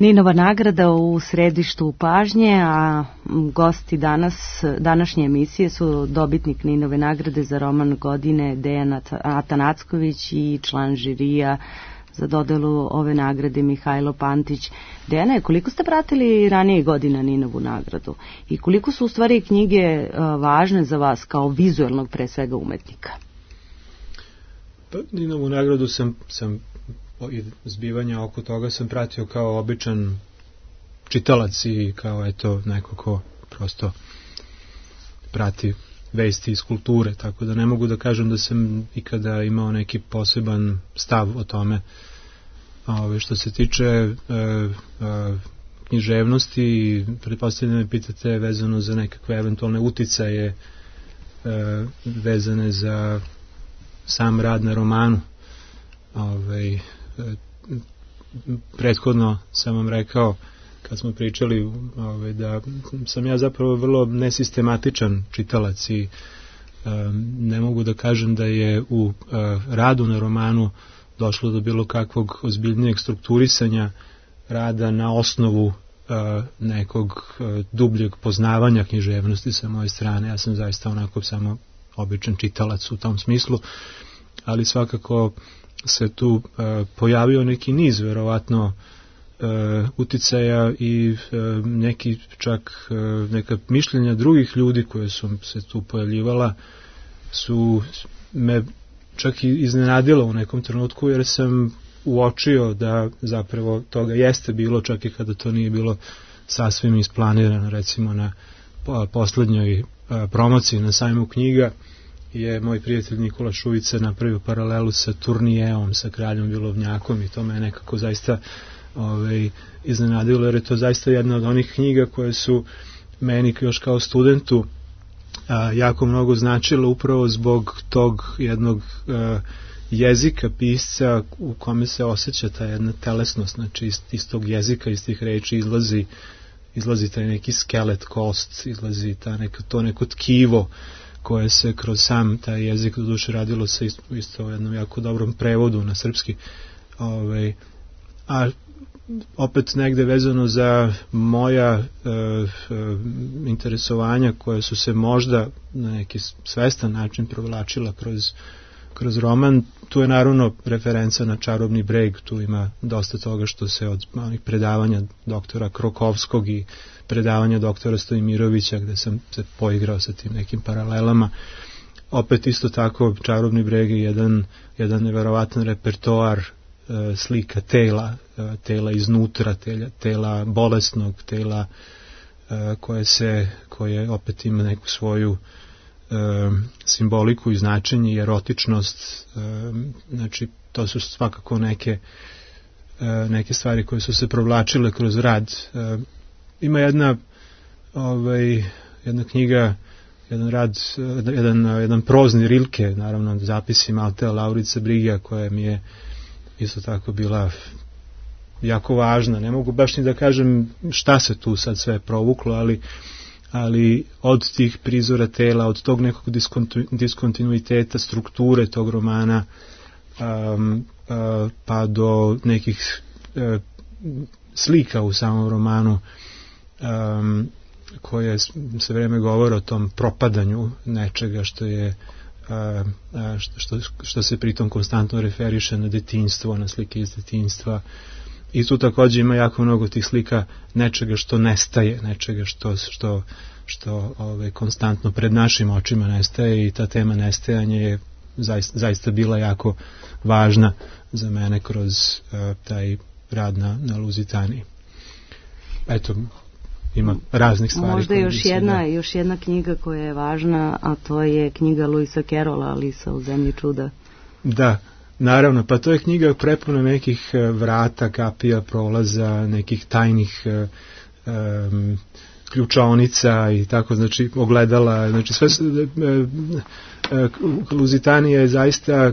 Ninova nagrada u središtu pažnje, a gosti danas, današnje emisije su dobitnik Ninove nagrade za roman godine Dejan Atanacković i član žirija za dodelu ove nagrade Mihajlo Pantić. Dejane, koliko ste pratili ranije godina Ninovu nagradu i koliko su u stvari knjige važne za vas kao vizuelnog pre svega umetnika? Pa, Ninovu nagradu sam, sam i zbivanja oko toga sam pratio kao običan čitalac i kao eto neko ko prosto prati vesti iz kulture, tako da ne mogu da kažem da sam ikada imao neki poseban stav o tome. Ove, što se tiče e, e, književnosti, pretpostavljam me pitate vezano za nekakve eventualne uticaje e, vezane za sam rad na romanu. Ove, prethodno sam vam rekao kad smo pričali ove, da sam ja zapravo vrlo nesistematičan čitalac i um, ne mogu da kažem da je u uh, radu na romanu došlo do bilo kakvog ozbiljnijeg strukturisanja rada na osnovu uh, nekog uh, dubljeg poznavanja književnosti sa moje strane. Ja sam zaista onako samo običan čitalac u tom smislu, ali svakako se tu uh, pojavio neki niz verovatno uh, uticaja i uh, neki čak uh, neka mišljenja drugih ljudi koje su se tu pojavljivala su me čak i iznenadilo u nekom trenutku, jer sam uočio da zapravo toga jeste bilo, čak i kada to nije bilo sasvim isplanirano. Recimo na poslednjoj uh, promociji na sajmu knjiga je moj prijatelj Nikola Šujica napravio paralelu sa Turnijeom, sa Kraljom Vilovnjakom, i to me nekako zaista ovaj, iznenadilo, jer je to zaista jedna od onih knjiga koje su meni još kao studentu a, jako mnogo značilo upravo zbog tog jednog a, jezika pisca u kome se osjeća ta jedna telesnost, znači iz, iz tog jezika, iz tih reči izlazi, izlazi taj neki skelet, kost, izlazi ta neka, to neko tkivo koje se kroz sam taj jezik do duše radilo sa isto, isto jednom jako dobrom prevodu na srpski. Ove, a opet negde vezano za moja e, e, interesovanja koje su se možda na neki svestan način provlačila kroz, kroz roman, tu je naravno referenca na Čarobni breg, tu ima dosta toga što se od onih predavanja doktora Krokovskog i predavanja doktora Stojimirovića, gde sam se poigrao sa tim nekim paralelama. Opet isto tako Čarobni breg je jedan, jedan neverovatan repertoar e, slika tela, e, tela iznutra, tela, tela bolesnog, tela e, koje se, koje opet ima neku svoju e, simboliku i značenje i erotičnost. E, znači to su svakako neke, e, neke stvari koje su se provlačile kroz rad. E, Ima jedna, ovaj, jedna knjiga jedan rad, jedan, jedan prozni Rilke, naravno zapisi Maltea Laurice Brigija, koja mi je isto tako bila jako važna. Ne mogu baš ni da kažem šta se tu sad sve provuklo, ali, ali od tih prizora tela, od tog nekog diskontu, diskontinuiteta, strukture tog romana, um, uh, pa do nekih uh, slika u samom romanu, um, koje se vreme govore o tom propadanju nečega što je a, a, što, što se pritom konstantno referiše na detinjstvo, na slike iz detinjstva, i tu također ima jako mnogo tih slika nečega što nestaje, nečega što, što, što ove, konstantno pred našim očima nestaje, i ta tema nestajanja je zaista, zaista bila jako važna za mene kroz a, taj rad na, na Luzitaniji. Eto, ima raznih stvari. Možda još jedna, da... još jedna knjiga koja je važna, a to je knjiga Luisa Carrolla, Alisa u zemlji čuda. Da, naravno, pa to je knjiga prepuna nekih vrata, kapija, prolaza, nekih tajnih um, ključaonica i tako, znači ogledala, znači sve Luzitanija je zaista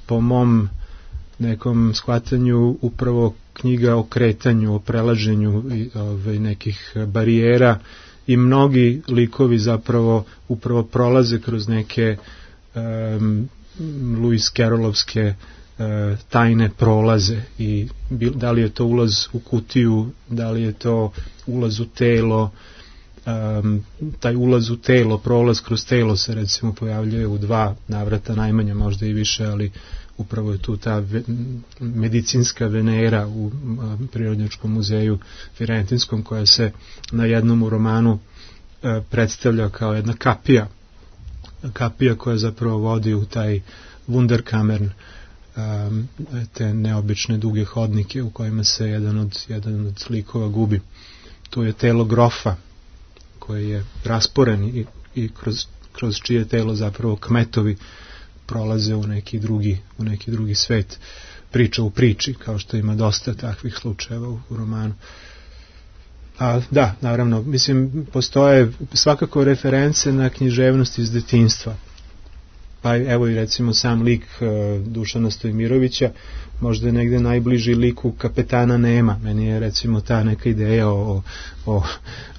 po mom nekom shvatanju upravo knjiga o kretanju, o prelaženju ove, nekih barijera, i mnogi likovi zapravo upravo prolaze kroz neke um, Lewis Carrollovske uh, tajne prolaze, i da li je to ulaz u kutiju, da li je to ulaz u telo. Um, taj ulaz u telo, prolaz kroz telo se recimo pojavljuje u dva navrata najmanje, možda i više, ali upravo je tu ta ve, medicinska Venera u a, Prirodnjačkom muzeju Firentinskom, koja se na jednom u romanu a, predstavlja kao jedna kapija kapija koja zapravo vodi u taj Wunderkammern, a, te neobične duge hodnike u kojima se jedan od, jedan od likova gubi. Tu je telo grofa koji je rasporen i, i kroz, kroz čije telo zapravo kmetovi prolaze u neki drugi, u neki drugi svet, priča u priči, kao što ima dosta takvih slučajeva u, u romanu. A da, naravno, mislim, postoje svakako reference na književnost iz detinjstva. Pa evo i recimo sam lik uh, Dušana Stojmirovića, možda je negde najbliži liku Kapetana Nema. Meni je recimo ta neka ideja o, o,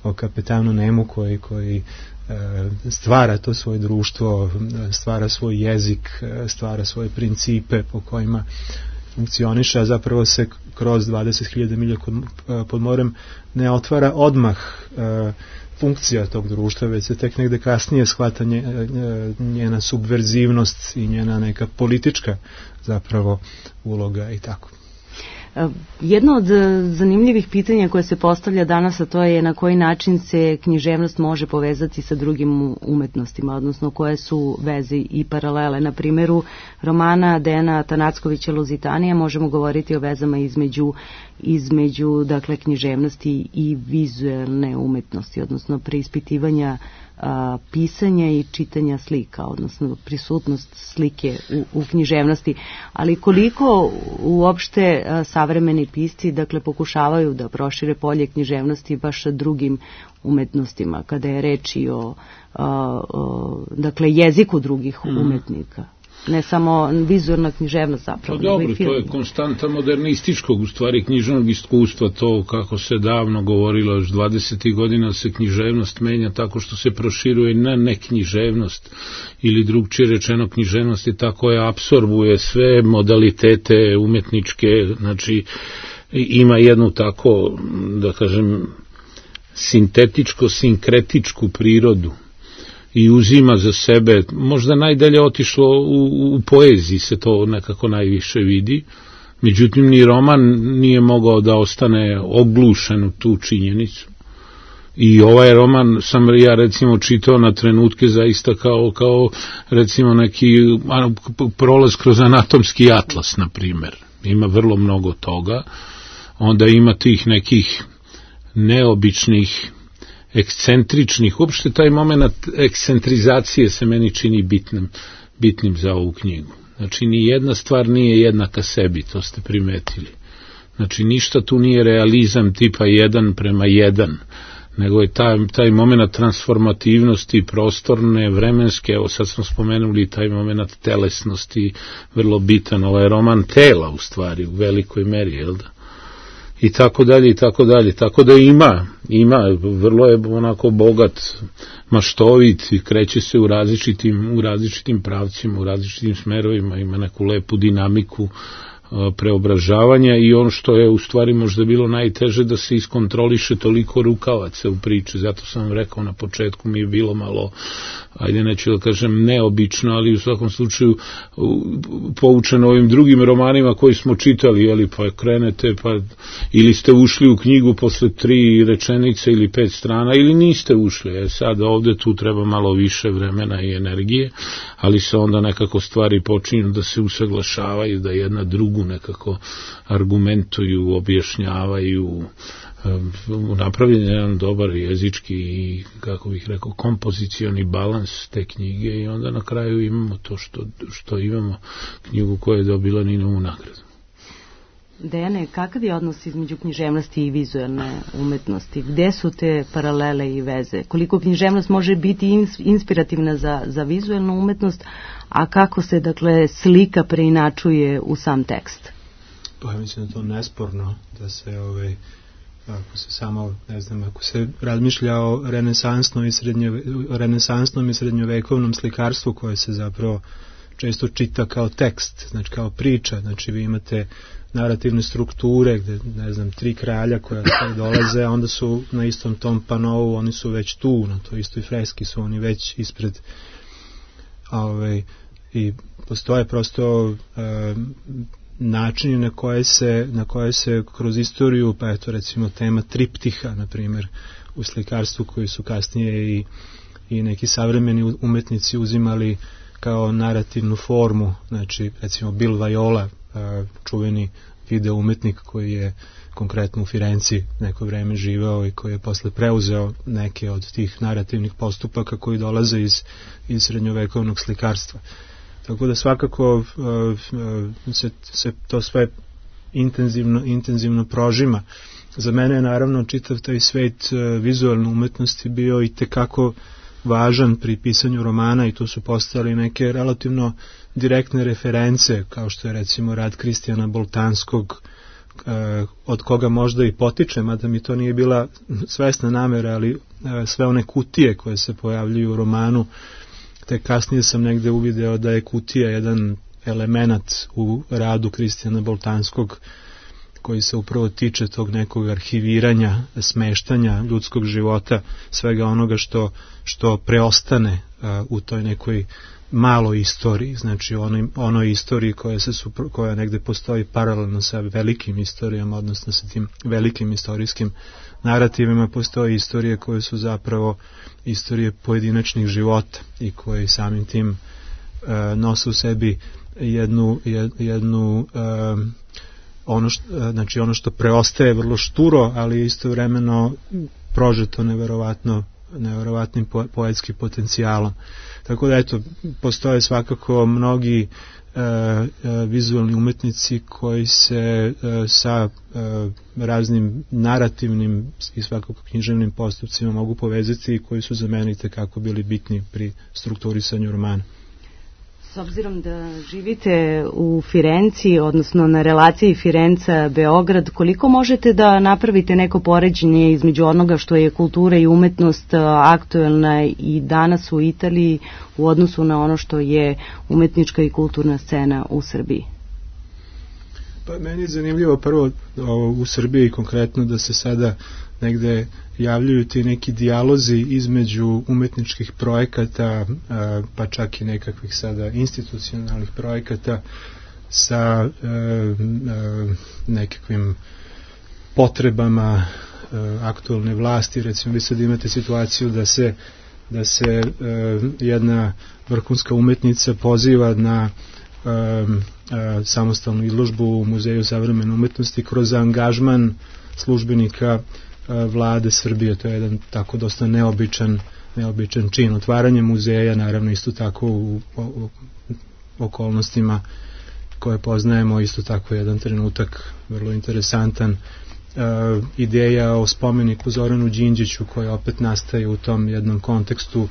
o Kapetanu Nemu koji, koji stvara to svoje društvo, stvara svoj jezik, stvara svoje principe po kojima funkcioniše, a zapravo se kroz dvadeset hiljada milja pod morem ne otvara odmah funkcija tog društva, već se tek negde kasnije shvata njena subverzivnost i njena neka politička zapravo uloga i tako. Jedno od zanimljivih pitanja koje se postavlja danas, a to je na koji način se književnost može povezati sa drugim umetnostima, odnosno koje su veze i paralele. Na primjeru romana Dejana Tanackovića Luzitanija možemo govoriti o vezama između, između dakle, književnosti i vizualne umetnosti, odnosno preispitivanja a, pisanja i čitanja slika, odnosno prisutnost slike u, u književnosti, ali koliko uopšte a, savremeni pisci dakle pokušavaju da prošire polje književnosti baš sa drugim umetnostima, kada je reč i o, a, o dakle jeziku drugih mm. umetnika. Ne samo vizualna književnost zapravo. Pa dobro, to je konstanta modernističkog, u stvari književnog iskustva, to kako se davno govorilo, još dvadesetih godina se književnost menja tako što se proširuje na neknjiževnost, ili drugčije rečeno književnost je tako je apsorbuje sve modalitete umetničke, znači ima jednu tako, da kažem, sintetičko-sinkretičku prirodu i uzima za sebe, možda najdalje otišlo u, u poeziji se to nekako najviše vidi, međutim ni roman nije mogao da ostane oglušen u tu činjenicu. I ovaj roman sam ja recimo čitao na trenutke zaista kao, kao recimo neki prolaz kroz anatomski atlas, na primjer. Ima vrlo mnogo toga, onda ima tih nekih neobičnih ekscentričnih, uopšte taj moment ekscentrizacije se meni čini bitnim, bitnim za ovu knjigu. Znači, ni jedna stvar nije jednaka sebi, to ste primetili. Znači, ništa tu nije realizam tipa jedan prema jedan, nego je taj, taj moment transformativnosti prostorne, vremenske, evo sad smo spomenuli taj moment telesnosti, vrlo bitan, ovaj roman tela u stvari, u velikoj meri, jel da? I tako dalje, i tako dalje, tako da ima, ima, vrlo je onako bogat, maštovit, kreće se u različitim, u različitim pravcima, u različitim smerovima, ima neku lepu dinamiku preobražavanja i ono što je u stvari možda bilo najteže da se iskontroliše toliko rukavaca u priči, zato sam vam rekao na početku mi je bilo malo, ajde neću da kažem neobično, ali u svakom slučaju poučeno ovim drugim romanima koji smo čitali, jeli, pa krenete, pa ili ste ušli u knjigu posle tri rečenice ili pet strana, ili niste ušli, e sad ovde tu treba malo više vremena i energije, ali se onda nekako stvari počinju da se usaglašavaju, da jedna drugu nekako argumentuju, objašnjavaju, napravljen je jedan dobar jezički i, kako bih rekao, kompozicioni balans te knjige i onda na kraju imamo to što, što imamo, knjigu koja je dobila Ninovu nagradu. Dejane, kakav je odnos između književnosti i vizualne umetnosti? Gde su te paralele i veze? Koliko književnost može biti inspirativna za, za vizualnu umetnost, a kako se, dakle, slika preinačuje u sam tekst? Pa ja mislim da to nesporno, da se ovaj, ako se samo, ne znam, ako se razmišlja o renesansnom i, srednjove, renesansnom i srednjovekovnom slikarstvu koje se zapravo često čita kao tekst, znači kao priča, znači vi imate narativne strukture gde, ne znam, tri kralja koja dolaze, a onda su na istom tom panovu, oni su već tu, na toj istoj freski su oni već ispred, ovaj, i postoje prosto e, načini na koje se na koje se kroz istoriju, pa eto recimo tema triptiha, na primjer, u slikarstvu koji su kasnije i, i neki savremeni umetnici uzimali kao narativnu formu, znači recimo Bill Viola, čuveni video umetnik koji je konkretno u Firenci neko vreme živao i koji je posle preuzeo neke od tih narativnih postupaka koji dolaze iz, iz srednjovekovnog slikarstva. Tako da svakako uh, uh, se, se to sve intenzivno, intenzivno prožima. Za mene je naravno čitav taj svet uh, vizualne umetnosti bio i tekako važan pri pisanju romana i tu su postali neke relativno direktne reference, kao što je recimo rad Kristijana Boltanskog, uh, od koga možda i potiče, mada mi to nije bila svesna namera, ali uh, sve one kutije koje se pojavljuju u romanu, te kasnije sam negde uvideo da je kutija jedan element u radu Kristijana Boltanskog koji se upravo tiče tog nekog arhiviranja, smeštanja ljudskog života, svega onoga što, što preostane a, u toj nekoj maloj istoriji, znači onoj, onoj istoriji koja, se supro, koja negde postoji paralelno sa velikim istorijama, odnosno sa tim velikim istorijskim narativima, postoje istorije koje su zapravo istorije pojedinačnih života i koje samim tim uh, nose u sebi jednu, jednu uh, ono što, uh, znači ono što preostaje vrlo šturo, ali istovremeno prožeto neverovatno neverovatnim po, poetskim potencijalom. Tako da eto, postoje svakako mnogi uh, uh, vizualni umetnici koji se uh, sa uh, raznim narativnim i svakako književnim postupcima mogu povezati i koji su za mene itekako bili bitni pri strukturisanju romana. S obzirom da živite u Firenci, odnosno na relaciji Firenca-Beograd, koliko možete da napravite neko poređenje između onoga što je kultura i umetnost aktuelna i danas u Italiji u odnosu na ono što je umetnička i kulturna scena u Srbiji? Pa meni je zanimljivo prvo o, u Srbiji konkretno da se sada negde javljaju ti neki dijalozi između umetničkih projekata, a, pa čak i nekakvih sada institucionalnih projekata sa a, a, nekakvim potrebama a, aktualne vlasti. Recimo vi sad imate situaciju da se da se a, jedna vrhunska umetnica poziva na a, a, samostalnu izložbu u Muzeju savremene umetnosti kroz angažman službenika vlade Srbije. To je jedan tako dosta neobičan, neobičan čin. Otvaranje muzeja, naravno isto tako u, u, u okolnostima koje poznajemo, isto tako jedan trenutak vrlo interesantan ideja o spomeniku Zoranu Đinđiću koja opet nastaje u tom jednom kontekstu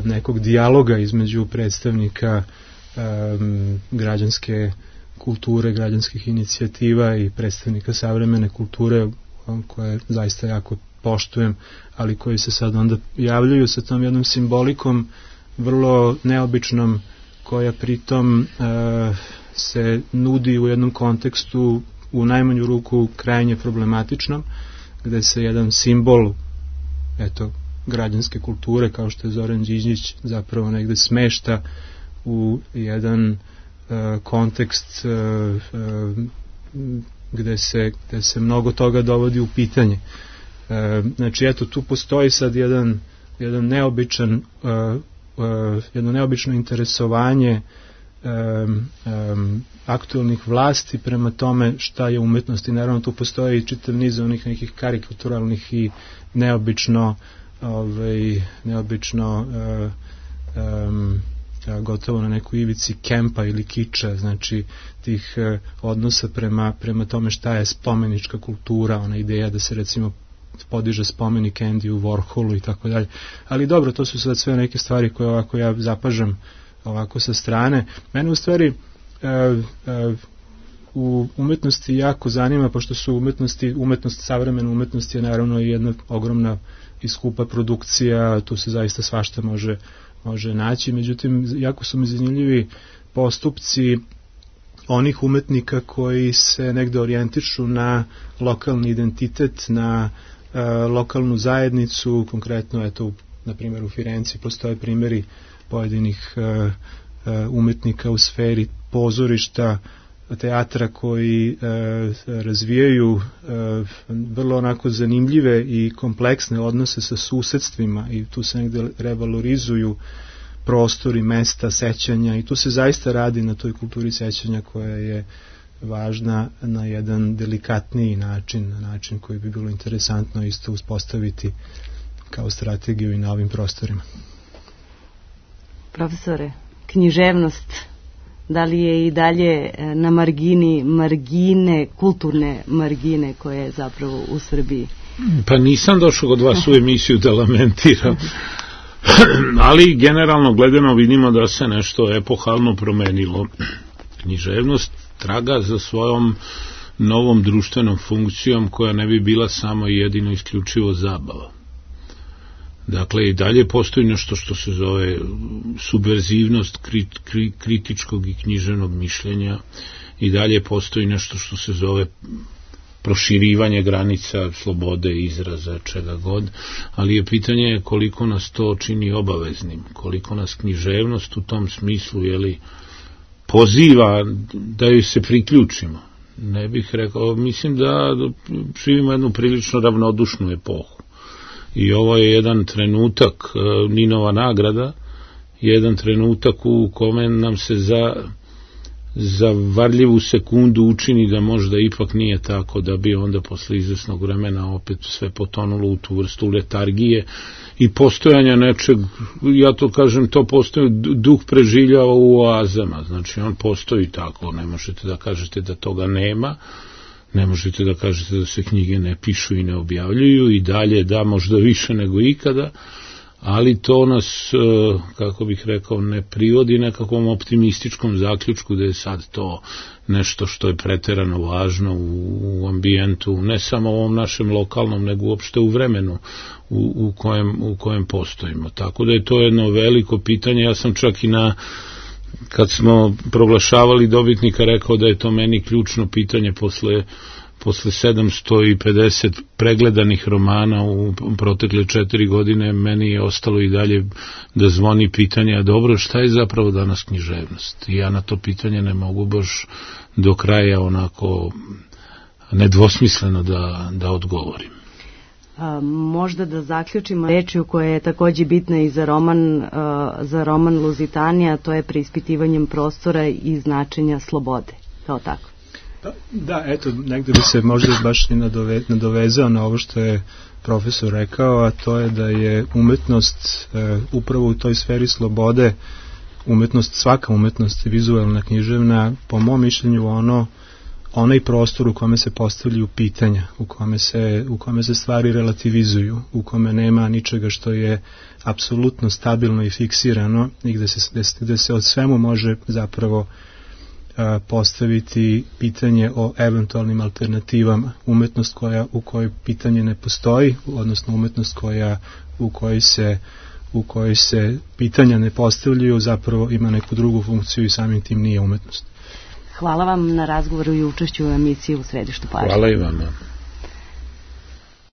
nekog dijaloga između predstavnika građanske kulture, građanskih inicijativa i predstavnika savremene kulture koje zaista jako poštujem, ali koji se sad onda javljaju sa tom jednom simbolikom vrlo neobičnom koja pritom e, se nudi u jednom kontekstu u najmanju ruku krajnje problematičnom, gde se jedan simbol eto, građanske kulture kao što je Zoran Đinđić zapravo negde smešta u jedan e, kontekst e, e, gde se, gde se mnogo toga dovodi u pitanje. E, znači eto tu postoji sad jedan, jedan neobičan e, e, jedno neobično interesovanje um, um, aktualnih vlasti prema tome šta je umetnost i naravno tu postoji čitav niz onih nekih karikaturalnih i neobično ovaj, neobično uh, um, gotovo na nekoj ivici kempa ili kiča, znači tih uh, odnosa prema, prema tome šta je spomenička kultura, ona ideja da se recimo podiže spomenik Andiju Warholu i tako dalje. Ali dobro, to su sad sve neke stvari koje ovako ja zapažam ovako sa strane. Mene u stvari e, e, u umetnosti jako zanima, pošto su umetnosti, umetnost, savremena umetnost je naravno i jedna ogromna i skupa produkcija, tu se zaista svašta može, može naći, međutim jako su mi zanimljivi postupci onih umetnika koji se negde orijentišu na lokalni identitet, na e, lokalnu zajednicu, konkretno eto, na primjer u Firenci postoje primjeri pojedinih e, e, umetnika u sferi pozorišta, teatra koji e, razvijaju e, vrlo onako zanimljive i kompleksne odnose sa susedstvima i tu se negde revalorizuju prostori, mesta, sećanja i tu se zaista radi na toj kulturi sećanja koja je važna na jedan delikatniji način, na način koji bi bilo interesantno isto uspostaviti kao strategiju i na ovim prostorima. Profesore, književnost, da li je i dalje na margini margine, kulturne margine koje je zapravo u Srbiji? Pa nisam došao kod vas u emisiju da lamentiram. Ali generalno gledano vidimo da se nešto epohalno promenilo. Književnost traga za svojom novom društvenom funkcijom koja ne bi bila samo i jedino isključivo zabava. Dakle, i dalje postoji nešto što se zove subverzivnost kri, kri, kritičkog i književnog mišljenja, i dalje postoji nešto što se zove proširivanje granica slobode izraza, čega god, ali je pitanje koliko nas to čini obaveznim, koliko nas književnost u tom smislu jeli, poziva da joj se priključimo. Ne bih rekao, mislim da živimo jednu prilično ravnodušnu epohu. I ovo je jedan trenutak, Ninova nagrada, jedan trenutak u kome nam se za za varljivu sekundu učini da možda ipak nije tako, da bi onda posle izvesnog vremena opet sve potonulo u tu vrstu letargije i postojanja nečeg, ja to kažem, to postoji, duh preživljava u oazama, znači on postoji tako, ne možete da kažete da toga nema, ne možete da kažete da se knjige ne pišu i ne objavljuju, i dalje da možda više nego ikada, ali to nas, kako bih rekao, ne privodi nekakvom optimističkom zaključku da je sad to nešto što je preterano važno u, u ambijentu, ne samo u ovom našem lokalnom, nego uopšte u vremenu u, u, kojem, u kojem postojimo. Tako da je to jedno veliko pitanje. Ja sam čak i na, kad smo proglašavali dobitnika, rekao da je to meni ključno pitanje posle posle sedamsto pedeset pregledanih romana u protekle četiri godine, meni je ostalo i dalje da zvoni pitanje, a dobro, šta je zapravo danas književnost? I ja na to pitanje ne mogu baš do kraja onako nedvosmisleno da, da odgovorim. A, možda da zaključimo rečju koja je takođe bitna i za roman, a, za roman Luzitanija, to je preispitivanjem prostora i značenja slobode, kao tako. Da, eto, negde bi se možda baš i nadove, nadovezao na ovo što je profesor rekao, a to je da je umetnost e, upravo u toj sferi slobode, umetnost, svaka umetnost vizualna, književna, po mom mišljenju ono onaj prostor u kome se postavljaju pitanja, u kome se, u kome se stvari relativizuju, u kome nema ničega što je apsolutno stabilno i fiksirano i gde se, gde se od svemu može zapravo a, postaviti pitanje o eventualnim alternativama. Umetnost koja, u kojoj pitanje ne postoji, odnosno umetnost koja, u kojoj se u kojoj se pitanja ne postavljaju, zapravo ima neku drugu funkciju i samim tim nije umetnost. Hvala vam na razgovoru i učešću u emisiji U središtu pažnje. Hvala i vama.